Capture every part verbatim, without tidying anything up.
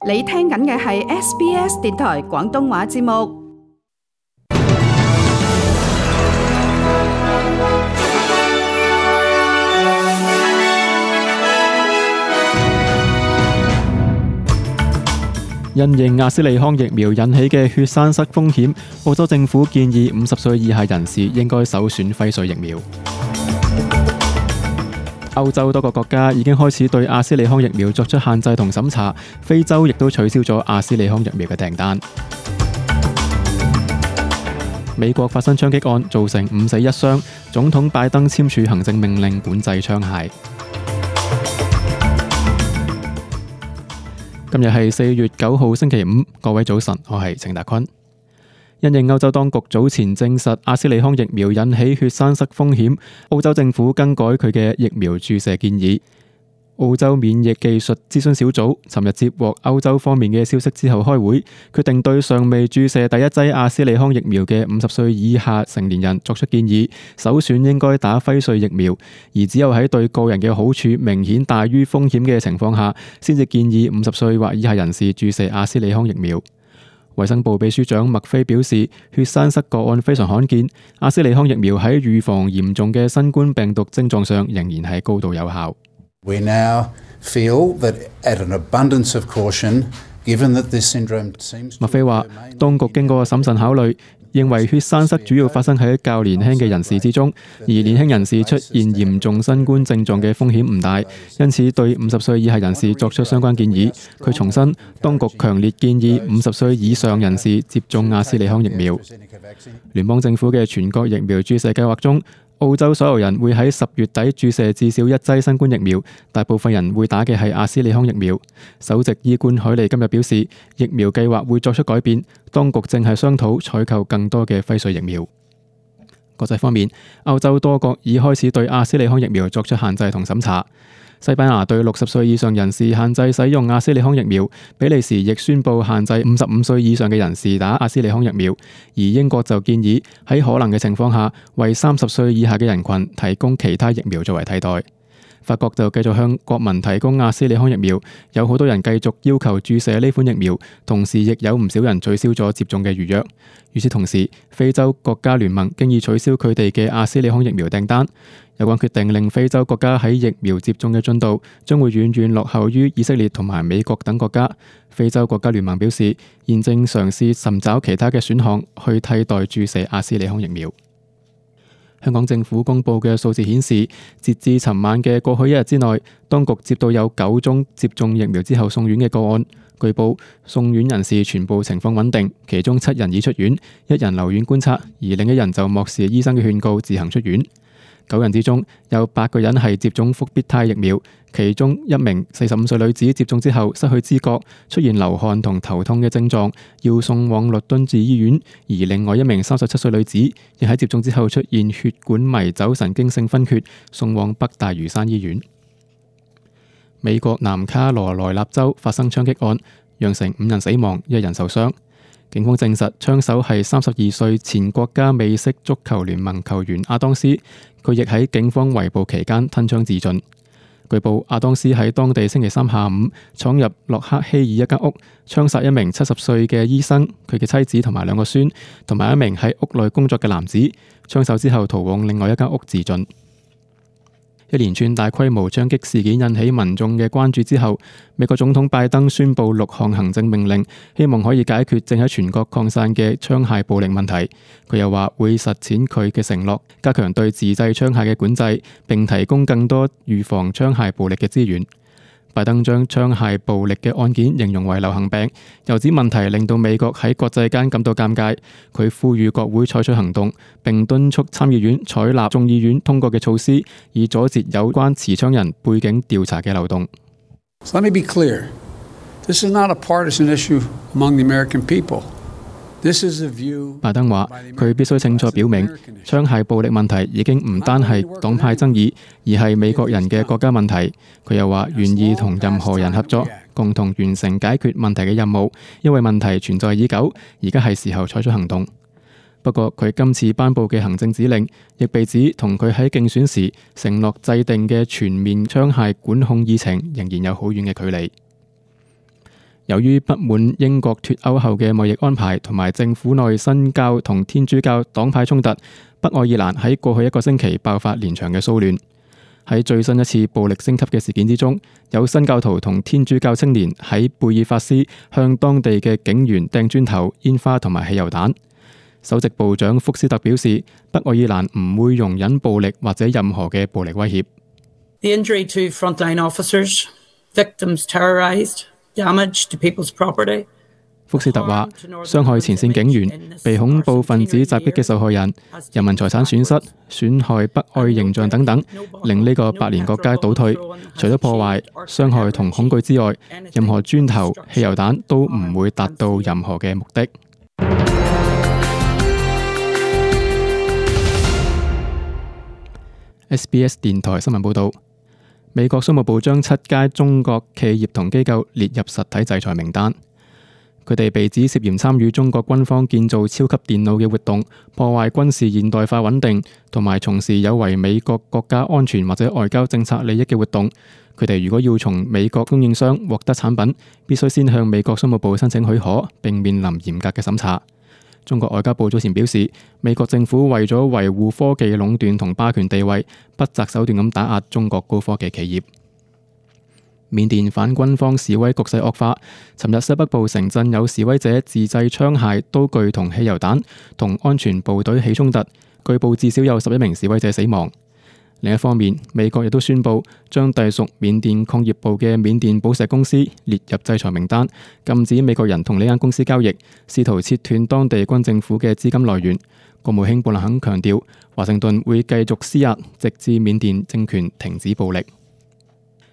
你聽緊嘅係 S B S 電台廣東話節目。因應阿斯利康疫苗引起嘅血栓塞風險，澳洲政府建議五十歲以下人士應該首選輝瑞疫苗。歐洲多個國家已經開始對阿斯利康疫苗作出限制同審查，非洲亦都取消咗阿斯利康疫苗嘅訂單。美國發生槍擊案，造成五死一傷，總統拜登簽署行政命令管制槍械。今日係四月九號星期五，各位早晨，我係程達坤。因應歐洲當局早前證實阿斯利康疫苗引起血栓塞風險，澳洲政府更改佢嘅疫苗注射建議。澳洲免疫技術諮詢小組尋日接獲歐洲方面嘅消息之後開會，決定對尚未注射第一劑阿斯利康疫苗嘅五十歲以下成年人作出建議，首選應該打輝瑞疫苗，而只有喺對個人嘅好處明顯大於風險嘅情況下，先至建議五十歲或以下人士注射阿斯利康疫苗。衛生部秘書長麥菲表示，血栓塞個案非常罕見，阿斯利康疫苗喺預防嚴重嘅新冠病毒症狀上仍然係高度有效。We now feel that at an abundance of caution, given that this syndrome seems to... 麥菲話，當局經過審慎考慮，認為血栓塞主要發生喺較年輕嘅人士之中，而年輕人士出現嚴重新冠症狀嘅風險唔大，因此對五十歲以下人士作出相關建議。佢重申，當局強烈建議五十歲以上人士接種阿斯利康疫苗。聯邦政府嘅全國疫苗注射計劃中，澳洲所有人會喺十月底注射至少一劑新冠疫苗，大部分人會打嘅係阿斯利康疫苗。首席醫官海利今日表示，疫苗計劃會作出改變，當局正係商討採購更多嘅輝瑞疫苗。國際方面，歐洲多國已開始對阿斯利康疫苗作出限制同審查。西班牙對六十歲以上人士限制使用阿斯利康疫苗，比利時亦宣布限制五十五歲以上嘅人士打阿斯利康疫苗，而英國就建議喺可能嘅情況下，為三十歲以下嘅人群提供其他疫苗作為替代。法國就繼續向國民提供阿斯利康疫苗，有好多人繼續要求注射呢款疫苗，同時亦有唔少人取消咗接種嘅預約。與此同時，非洲國家聯盟經已取消佢哋嘅阿斯利康疫苗訂單。有關決定令非洲國家喺疫苗接種嘅進度將會遠遠落後於以色列同埋美國等國家。非洲國家聯盟表示，現正嘗試尋找其他嘅選項去替代注射阿斯利康疫苗。香港政府公布嘅數字顯示，截至尋晚嘅過去一日之內，當局接到有九宗接種疫苗之後送院嘅個案。據報，送院人士全部情況穩定，其中七人已出院，一人留院觀察，而另一人就漠視醫生嘅勸告自行出院。九人之中有八個人係接種復必泰疫苗，其中一名四十五歲女子接種之後失去知覺，出現流汗同頭痛嘅症狀，要送往律敦治醫院；而另外一名三十七歲女子亦喺接種之後出現血管迷走神經性昏厥，送往北大嶼山醫院。美國南卡羅來納州發生槍擊案，釀成五人死亡，一人受傷。警方證實槍手係三十二歲前國家美式足球聯盟球員阿當斯，佢亦喺警方圍捕期間吞槍自盡。據報，阿當斯喺當地星期三下午闖入洛克希爾一間屋，槍殺一名七十歲嘅醫生、佢嘅妻子同埋兩個孫，同埋一名喺屋內工作嘅男子。槍手之後逃往另外一間屋自盡。一連串大規模槍擊事件引起民眾嘅關注之後，美國總統拜登宣布六項行政命令，希望可以解決正喺全國擴散嘅槍械暴力問題。佢又話會實踐佢嘅承諾，加強對自製槍械嘅管制，並提供更多預防槍械暴力嘅資源。拜登將槍械暴力嘅案件形容為流行病，又指問題令到美國喺國際間感到尷尬。佢呼籲國會採取行動，並敦促參議院採納眾議院通過嘅措施，以阻截有關持槍人背景調查嘅漏洞。So let me be clear. This is not a partisan issue among the American people. 拜登話：佢必須清楚表明，槍械暴力問題已經唔單係黨派爭議，而係美國人嘅國家問題。佢又話願意同任何人合作，共同完成解決問題嘅任務，因為問題存在已久，而家係時候採取行動。不過，佢今次頒布嘅行政指令，亦被指同佢喺競選時承諾制定嘅全面槍械管控議程仍然有好遠嘅距離。由於不滿英國脫歐後嘅貿易安排同埋政府內新教同天主教黨派衝突，北愛爾蘭喺過去一個星期爆發連場嘅騷亂。喺最新一次暴力升級嘅事件之中，有新教徒同天主教青年喺貝爾法斯向當地嘅警員掟磚頭、煙花同埋汽油彈。首席部長福斯特表示，北愛爾蘭唔會容忍暴力或者任何嘅暴力威脅。The injury to frontline officers, victims terrorized, damage to people's property. 福斯特話，傷害前線警員、被恐怖分子襲擊嘅受害人、人民財產損失、損害北愛形象等等，令呢個百年國家倒退。除咗破壞、傷害同恐懼之外，任何磚頭、汽油彈都唔會達到任何嘅目的。S B S 電台新聞報導，美國商務部將七間中國企業同機構列入實體制裁名單。佢哋被指涉嫌參與中國軍方建造超級電腦嘅活動，破壞軍事現代化穩定，同埋從事有違美國國家安全或者外交政策利益嘅活動。佢哋如果要從美國供應商獲得產品，必須先向美國商務部申請許可，並面臨嚴格嘅審查。中國外交部早前表示，美國政府為咗維護科技壟斷同霸權地位，不擇手段咁打壓中國高科技企業。緬甸反軍方示威局勢惡化，尋日西北部城鎮有示威者自製槍械、刀具同汽油彈，同安全部隊起衝突，據報至少有十一名示威者死亡。另一方面，美國亦都宣布將隸屬緬甸礦業部嘅緬甸寶石公司列入制裁名單，禁止美國人同呢間公司交易，試圖切斷當地軍政府嘅資金來源。國務卿布林肯強調，華盛頓會繼續施壓，直至緬甸政權停止暴力。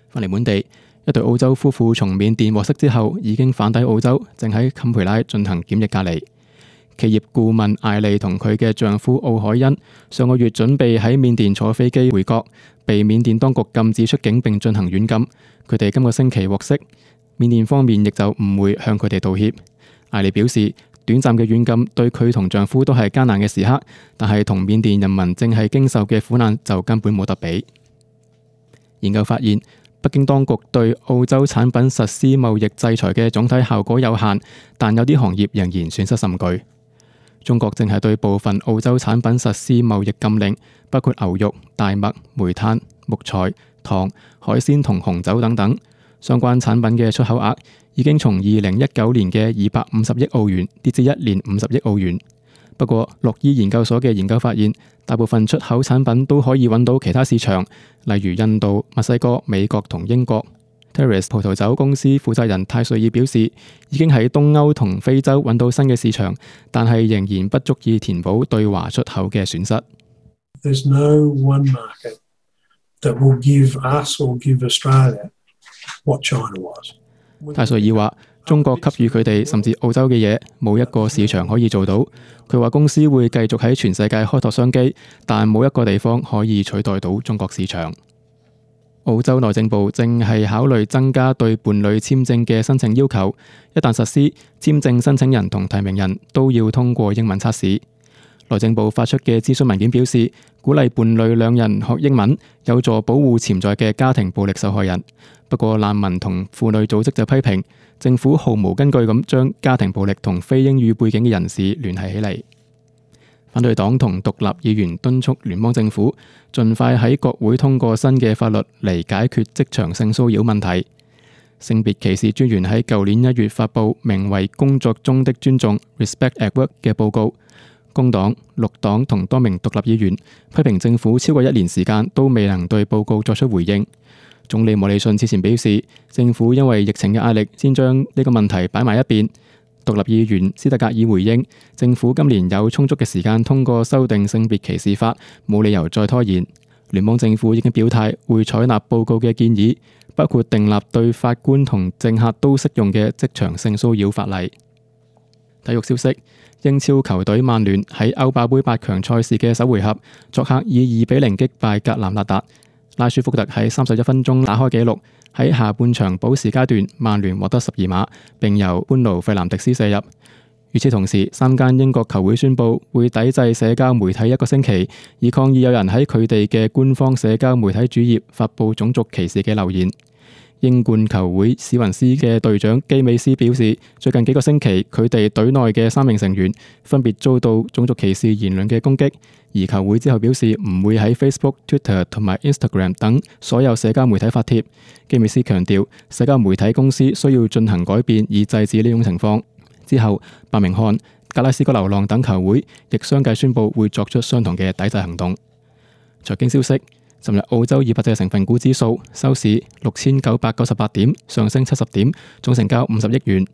翻嚟本地，一對澳洲夫婦從緬甸獲釋之後，已經返抵澳洲，正喺坎培拉進行檢疫隔離。企業顧問艾莉同佢嘅丈夫奧海恩上個月準備喺緬甸坐飛機回國，被緬甸當局禁止出境並進行軟禁。佢哋今個星期獲釋，緬甸方面亦就唔會向佢哋道歉。艾莉表示，短暫嘅軟禁對佢同丈夫都係艱難嘅時刻，但係同緬甸人民正係經受嘅苦難就根本冇得比。研究發現，北京當局對澳洲產品實施貿易制裁嘅總體效果有限，但有啲行業仍然損失甚巨。中國正係對部分澳洲產品實施貿易禁令，包括牛肉、大麥、煤炭、木材、糖、海鮮同紅酒等等。相關產品嘅出口額已經從二零一九年嘅二百五十億澳元跌至一年五十億澳元。不過，洛伊研究所嘅研究發現，大部分出口產品都可以揾到其他市場，例如印度、墨西哥、美國同英國。Terrace 葡萄酒公司負責人泰瑞爾表示，已經喺東歐同非洲揾到新嘅市場，但係仍然不足以填補對華出口嘅損失。There's no one market that will give us or give Australia what China was. 泰瑞爾話，中國給予佢哋甚至澳洲嘅嘢，冇一個市場可以做到。佢話公司會繼續喺全世界開拓商機，但冇一個地方可以取代到中國市場。澳洲內政部正係考慮增加對伴侶簽證嘅申請要求，一旦實施，簽證申請人同提名人都要通過英文測試。內政部發出嘅諮詢文件表示，鼓勵伴侶兩人學英文，有助保護潛在嘅家庭暴力受害人。不過難民同婦女組織就批評政府毫無根據咁將家庭暴力同非英語背景嘅人士聯繫起嚟。反對黨同獨立議員敦促聯邦政府盡快喺國會通過新嘅法律嚟解決職場性騷擾問題。性別歧視專員喺舊年一月發布名為《工作中的尊重 Respect at Work》嘅報告。工黨、綠黨同多名獨立議員批評政府超過一年時間都未能對報告作出回應。總理莫里遜此前表示，政府因為疫情嘅壓力，先將呢個問題擺埋一邊。獨立議員斯特格爾回應，政府今年有充足嘅時間通過修訂性別歧視法，冇理由再拖延。聯邦政府已經表態會採納報告嘅建議，包括訂立對法官同政客都適用嘅職場性騷擾法例。體育消息，英超球隊曼聯喺歐霸盃八強賽事嘅首回合，作客以二比零擊敗格蘭納達。拉舒福特喺三十一分鐘打開紀錄。喺下半場補時階段，曼聯獲得十二碼，並由班奴費南迪斯射入。與此同時，三間英國球會宣布會抵制社交媒體一個星期，以抗議有人喺佢哋嘅官方社交媒體主頁發布種族歧視嘅留言。英冠球會史雲斯嘅隊長基美斯表示，最近幾個星期佢哋隊內嘅三名成員分別遭到種族歧視言論嘅攻擊，而球會之後表示唔會喺 Facebook、Twitter 同埋 Instagram 等所有社交媒體發帖。基美斯強調，社交媒體公司需要進行改變以制止呢種情況。之後，伯明翰、格拉斯哥流浪等球會亦相繼宣布會作出相同嘅抵制行動。財經消息。尋日澳洲二百隻成分股指數收市六千九百九十八點，上升七十點，總成交五十億元。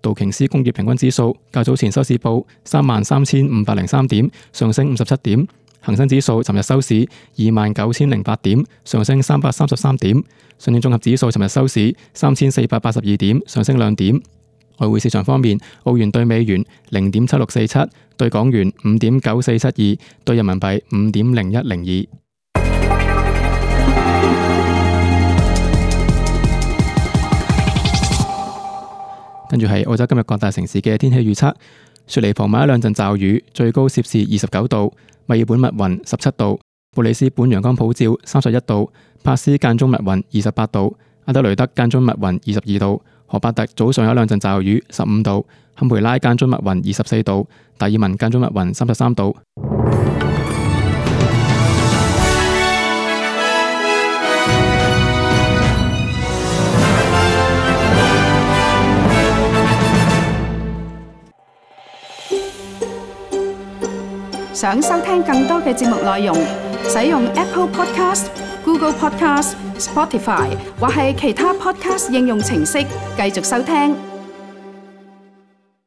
道瓊斯工業平均指數較早前收市報三萬三千五百零三點，上升五十七點。恒生指數尋日收市二萬九千零八點，上升三百三十三點。上證綜合指數尋日收市三千四百八十二點，上升兩點。外匯市場方面，澳元對美元零點七六四七，對港元五點九四七二，對人民幣五點零一零二。跟住係澳洲今日各大城市嘅天氣預測：雪梨傍晚一兩陣驟雨，最高攝氏二十九度；墨爾本密雲十七度；布里斯本陽光普照三十一度；珀斯間中密雲二十八度；阿德雷德間中密雲二十二度；荷伯特早上有一兩陣驟雨十五度；坎培拉間中密雲二十四度；達爾文間中密雲三十三度。想收聽更多嘅節目內容，使用 Apple Podcast、Google Podcast、Spotify 或係其他 Podcast 應用程式繼續收聽。